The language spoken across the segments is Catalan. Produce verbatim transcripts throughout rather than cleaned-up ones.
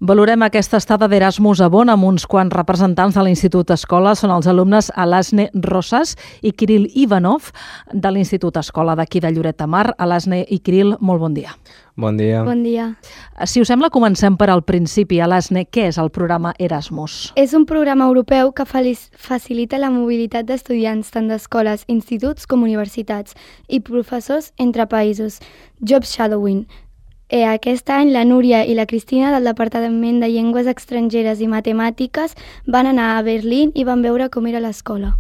Valorem aquesta estada d'Erasmus a Bonn amb uns quants representants de l'Institut Escola. Són els alumnes Alasne Rosas i Kirill Ivanov de l'Institut Escola d'aquí de Lloret de Mar. Alasne i Kirill, molt bon dia. Bon dia. Bon dia. Si us sembla, comencem per al principi. Alasne, què és el programa Erasmus? És un programa europeu que facilita la mobilitat d'estudiants tant d'escoles, instituts com universitats i professors entre països. Job shadowing. Eh, aquest any la Núria i la Cristina del Departament de Llengües Estrangeres i Matemàtiques van anar a Berlín i van veure com era l'escola.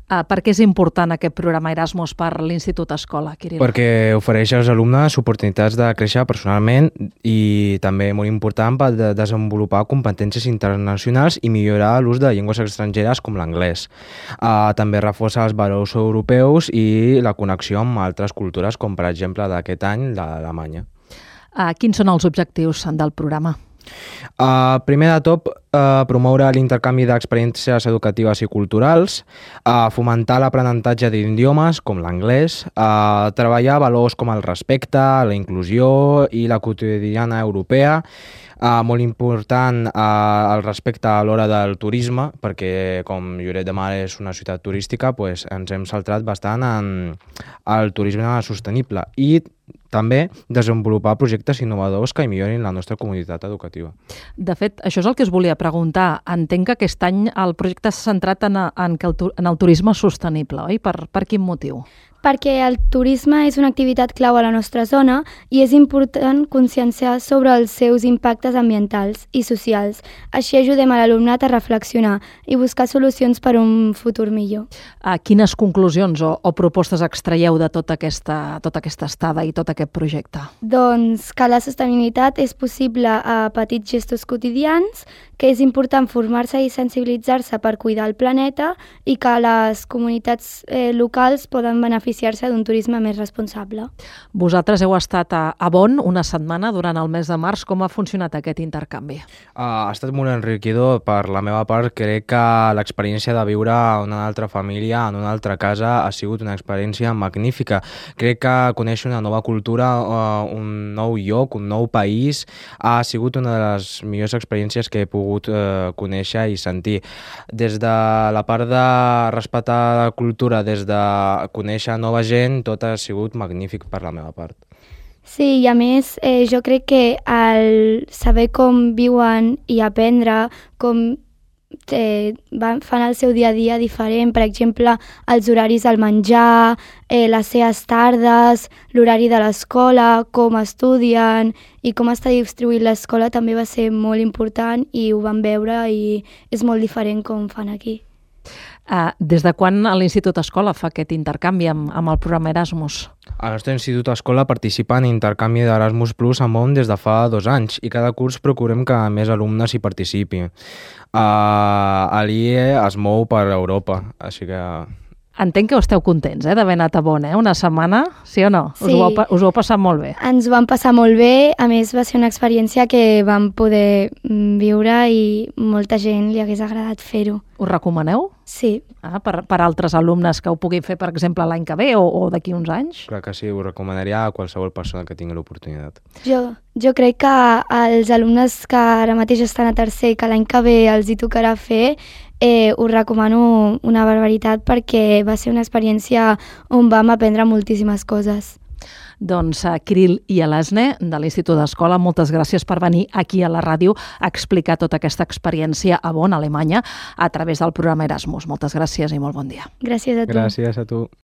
Uh, per què és important aquest programa Erasmus per l'Institut Escola, Kirill? Perquè ofereix als alumnes oportunitats de créixer personalment i també molt important per de desenvolupar competències internacionals i millorar l'ús de llengües estrangeres com l'anglès. Uh, també reforça els valors europeus i la connexió amb altres cultures, com per exemple d'aquest any l'Alemanya. Uh, quins són els objectius del programa? Uh, primer de tot, uh, promoure l'intercanvi d'experiències educatives i culturals, uh, fomentar l'aprenentatge d'idiomes com l'anglès, uh, treballar valors com el respecte, la inclusió i la quotidiana europea, Uh, molt important uh, el respecte a l'hora del turisme, perquè com Lloret de Mar és una ciutat turística, pues, ens hem centrat bastant en el turisme sostenible i també desenvolupar projectes innovadors que millorin la nostra comunitat educativa. De fet, això és el que us volia preguntar. Entenc que aquest any el projecte s'ha centrat en, en, en el turisme sostenible, oi? Per, per quin motiu? Perquè el turisme és una activitat clau a la nostra zona i és important conscienciar sobre els seus impactes ambientals i socials. Així ajudem a l'alumnat a reflexionar i buscar solucions per a un futur millor. A quines conclusions o, o propostes extraieu de tota aquesta, tota aquesta estada i tot aquest projecte? Doncs que la sostenibilitat és possible a petits gestos quotidians, que és important formar-se i sensibilitzar-se per cuidar el planeta i que les comunitats eh, locals poden beneficiar-se d'un turisme més responsable. Vosaltres heu estat a, a Bonn una setmana durant el mes de març. Com ha funcionat aquest intercanvi? Uh, ha estat molt enriquidor. Per la meva part, crec que l'experiència de viure en una altra família, en una altra casa, ha sigut una experiència magnífica. Crec que conèixer una nova cultura, uh, un nou lloc, un nou país, ha sigut una de les millors experiències que he pogut uh, conèixer i sentir. Des de la part de respectar la cultura, des de conèixer nova gent, tot ha sigut magnífic per la meva part. Sí, i a més eh, jo crec que el saber com viuen i aprendre com eh, van, fan el seu dia a dia diferent, per exemple, els horaris del menjar, eh, les seves tardes, l'horari de l'escola, com estudien i com està distribuït l'escola també va ser molt important i ho vam veure i és molt diferent com fan aquí. Uh, des de quan l'Institut Escola fa aquest intercanvi amb, amb el programa Erasmus? El nostre Institut Escola participa en intercanvi d'Erasmus Plus amb Bonn des de fa dos anys i cada curs procurem que més alumnes hi participin. Uh, l'I E es mou per Europa, així que... Entenc que esteu contents eh, d'haver anat a Bonn, eh? Una setmana, sí o no? Sí. Us ho, heu, us ho heu passat molt bé? Ens ho vam passar molt bé, a més va ser una experiència que vam poder viure i molta gent li hagués agradat fer-ho. Us recomaneu? Sí. Ah, per, per altres alumnes que ho puguin fer, per exemple, l'any que ve o, o d'aquí uns anys? Clar que sí, ho recomanaria a qualsevol persona que tingui l'oportunitat. Jo, jo crec que els alumnes que ara mateix estan a tercer, que l'any que ve els hi tocarà fer, eh, us recomano una barbaritat perquè va ser una experiència on vam aprendre moltíssimes coses. Doncs uh, Kirill i Alasne, de l'Institut d'Escola, moltes gràcies per venir aquí a la ràdio a explicar tota aquesta experiència a Bonn, Alemanya, a través del programa Erasmus. Moltes gràcies i molt bon dia. Gràcies a tu. Gràcies a tu.